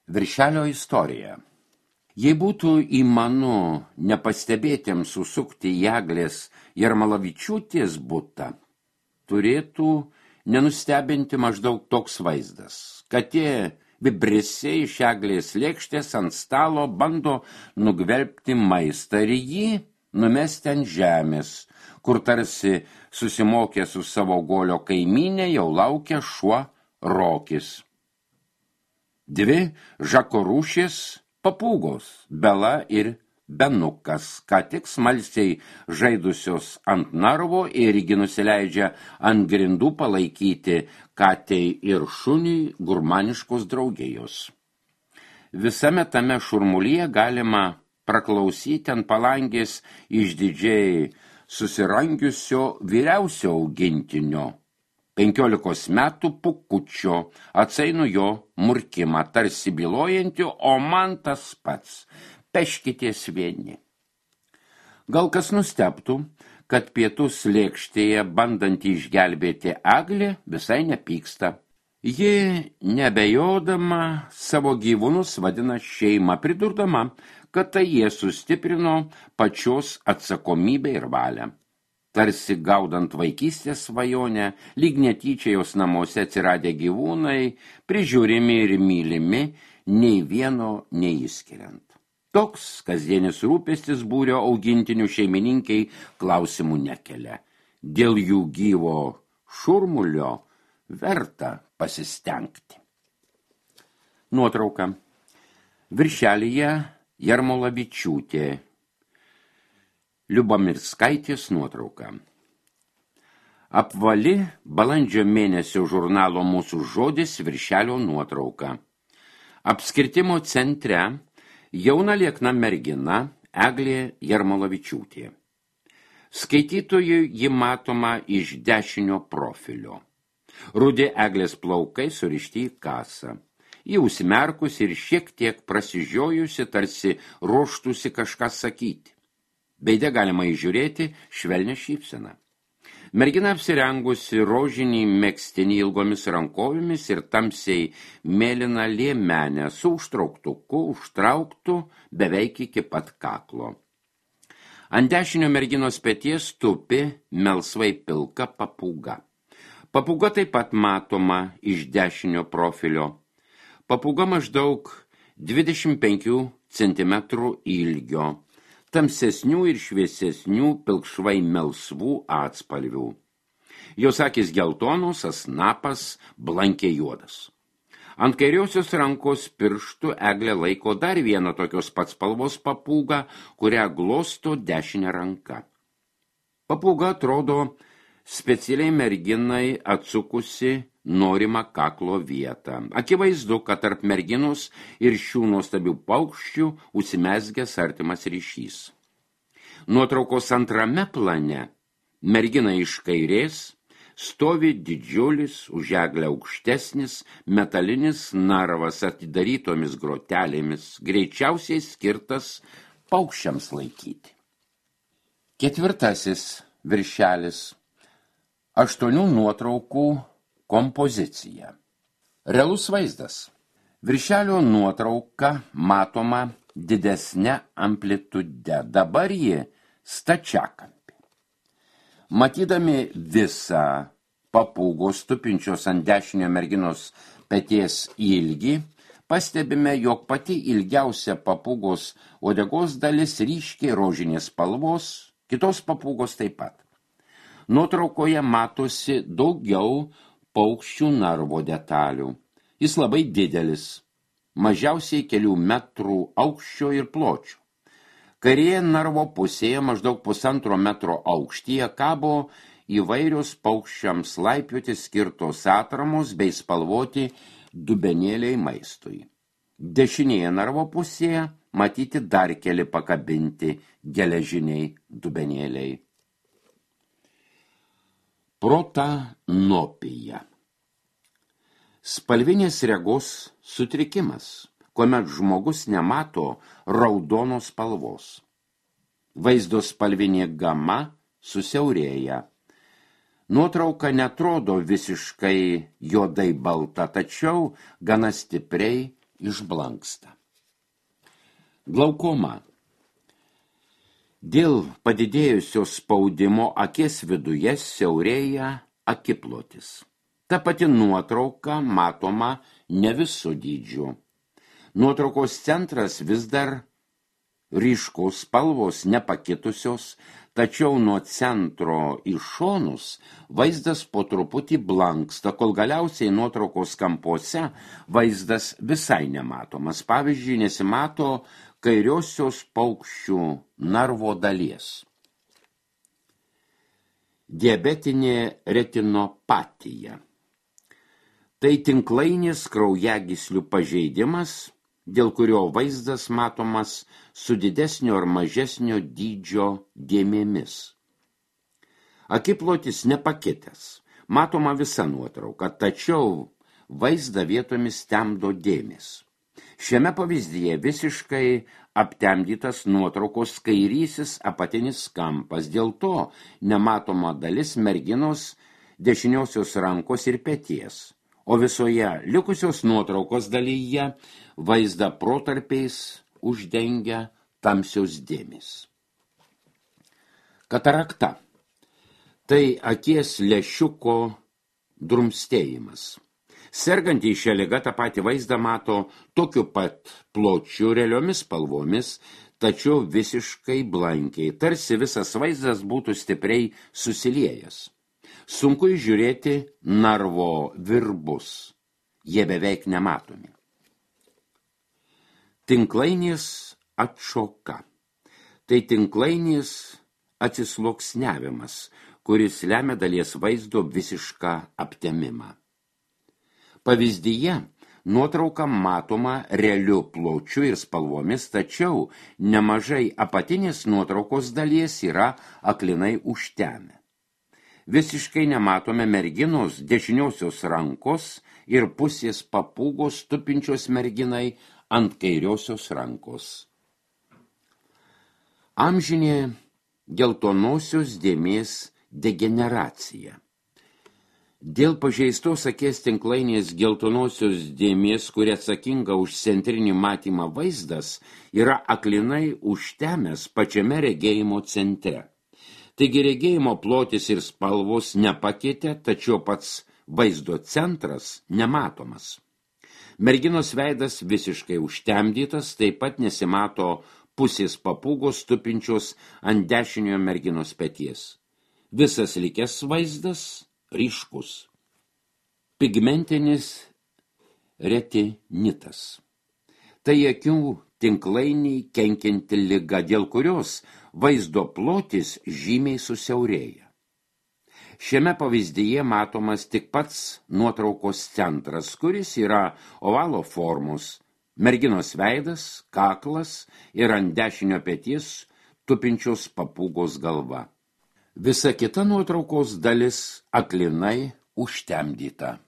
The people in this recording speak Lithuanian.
Viršelio istorija. Jei būtų įmanu nepastebėtiems susukti į Eglės Jarmalavičiūtės butą, turėtų nenustebinti maždaug toks vaizdas. Katė vibrisiai iš Eglės lėkštės ant stalo bando nugvelbti maistą ir jį numesti ant žemės, kur tarsi susimokė su savo golio kaimynė jau laukia šuo Rokis. Dvi Žako rūšis papūgos, Bela ir Benukas, ką tik smalsiai žaidusios ant narvo irgi nusileidžia ant grindų palaikyti katei ir šuniui gurmaniškos draugijos. Visame tame šurmulyje galima praklausyti ant palangės išdidžiai susirangiusio vyriausio augintinio, 15 metų pukučio, atsainu jo murkimą, tarsi bylojantį, o man tas pats, peškitės vieni. Gal kas nustebtų, kad pietus lėkštėje bandantį išgelbėti Eglė visai nepyksta. Ji nebejodama savo gyvūnus vadina šeima, pridurdama, kad tai jie sustiprino pačios atsakomybę ir valią. Tarsi gaudant vaikystės svajonę, lyg netyčia jos namuose atsiradę gyvūnai, prižiūrimi ir mylimi, nei vieno neįskiriant. Toks kasdienis rūpestis būrio augintinių šeimininkiai klausimų nekelia. Dėl jų gyvo šurmulio verta pasistengti. Nuotrauka. Viršelyje Jarmalavičiūtė. Liubomirskaitės nuotrauka. Apvali balandžio mėnesio žurnalo Mūsų žodis viršelio nuotrauka. Apskritimo centre jauna liekna mergina Eglė Jarmalavičiūtė. Skaitytojui ji matoma iš dešinio profilio. Rudi Eglės plaukai surišti į kasą. Ji užsimerkusi ir šiek tiek prasižiojusi, tarsi ruoštųsi kažką sakyti. Beide galima įžiūrėti švelnią šypseną. Mergina apsirengusi rožinį megztinį ilgomis rankovėmis ir tamsiai mėlyną liemenę su užtrauktuku, užtrauktu beveik iki pat kaklo. Ant dešinio merginos peties tupi melsvai pilka papūga. Papūga taip pat matoma iš dešinio profilio. Papūga maždaug 25 cm ilgio. Tamsesnių ir šviesesnių pilkšvai melsvų atspalvių. Jos akys geltonos, snapas blankiai juodas. Ant kairiosios rankos pirštų Eglė laiko dar vieną tokios pats spalvos papūgą, kurią glosto dešinė ranka. Papūga atrodo specialiai merginai atsukusi norimą kaklo vietą. Akivaizdu, kad tarp merginos ir šių nuostabių paukščių užsimezgęs artimas ryšys. Nuotraukos antrame plane mergina iš kairės stovi didžiulis, už Eglę aukštesnis, metalinis narvas atidarytomis grotelėmis, greičiausiai skirtas paukščiams laikyti. Ketvirtasis viršelis. 8 nuotraukų kompozicija. Realus vaizdas. Viršelio nuotrauka matoma didesnė amplitude. Dabar ji stačiakampė. Matydami visą papūgos tupinčios ant dešinio merginos peties ilgį, pastebime, jog pati ilgiausia papūgos uodegos dalis ryškiai rožinės spalvos, kitos papūgos taip pat. Nuotraukoje matosi daugiau paukščių narvo detalių. Jis labai didelis, mažiausiai kelių metrų aukščio ir pločio. Kairėje narvo pusėje maždaug 1,5 metro aukštyje kabo įvairios paukščiams laipioti skirtos atramos bei spalvoti dubenėliai maistui. Dešinėje narvo pusėje matyti dar keli pakabinti geležiniai dubenėliai. Protanopija. Spalvinės regos sutrikimas, kuomet žmogus nemato raudonos spalvos. Vaizdo spalvinė gama susiaurėja. Nuotrauka netrodo visiškai juodai balta, tačiau gana stipriai išblanksta. Glaukoma. Dėl padidėjusio spaudimo akies viduje siaurėja akiplotis. Ta pati nuotrauka matoma ne visų dydžių. Nuotraukos centras vis dar ryškus, spalvos nepakitusios, tačiau nuo centro į šonus vaizdas po truputį blanksta, kol galiausiai nuotraukos kampuose vaizdas visai nematomas. Pavyzdžiui, nesimato kairiosios paukščių narvo dalies. Diabetinė retinopatija. Tai tinklainis kraujagyslių pažeidimas, dėl kurio vaizdas matomas su didesnio ar mažesnio dydžio dėmėmis. Akiplotis nepakitęs, matoma visa nuotrauka, tačiau vaizdą vietomis temdo dėmės. Šiame pavyzdyje visiškai aptemdytas nuotraukos kairysis apatinis kampas, dėl to nematoma dalis merginos dešiniosios rankos ir peties, o visoje likusios nuotraukos dalyje vaizdą protarpiais uždengia tamsios dėmės. Katarakta. Tai akies lęšiuko drumstėjimas. Sergantys šią ligą tą patį vaizdą mato tokiu pat pločiu, realiomis spalvomis, tačiau visiškai blankiai, tarsi visas vaizdas būtų stipriai susiliejęs. Sunku įžiūrėti narvo virbus, jie beveik nematomi. Tinklainis atšoka. Tai tinklainis atsisluoksniavimas, kuris lemia dalies vaizdo visišką aptemimą. Pavyzdyje nuotrauka matoma realiu pločiu ir spalvomis, tačiau nemažai apatinės nuotraukos dalies yra aklinai užtemę. Visiškai nematome merginos dešiniosios rankos ir pusės papūgos tupinčios merginai ant kairiosios rankos. Amžinė geltonosios dėmės degeneracija. Dėl pažeistos akies tinklainės geltonosios dėmės, kuri atsakinga už centrinį matymą vaizdas, yra aklinai užtemęs pačiame regėjimo centre. Taigi regėjimo plotis ir spalvos nepakitė, tačiau pats vaizdo centras nematomas. Merginos veidas visiškai užtemdytas, taip pat nesimato pusės papūgos tupinčios ant dešiniojo merginos peties. Visas likęs vaizdas ryškus. Pigmentinis retinitas. Tai akių tinklainiai kenkianti liga, dėl kurios vaizdo plotis žymiai susiaurėja. Šiame pavyzdyje matomas tik pats nuotraukos centras, kuris yra ovalo formos, merginos veidas, kaklas ir ant dešinio peties tupinčios papūgos galva. Visa kita nuotraukos dalis aklinai užtemdyta.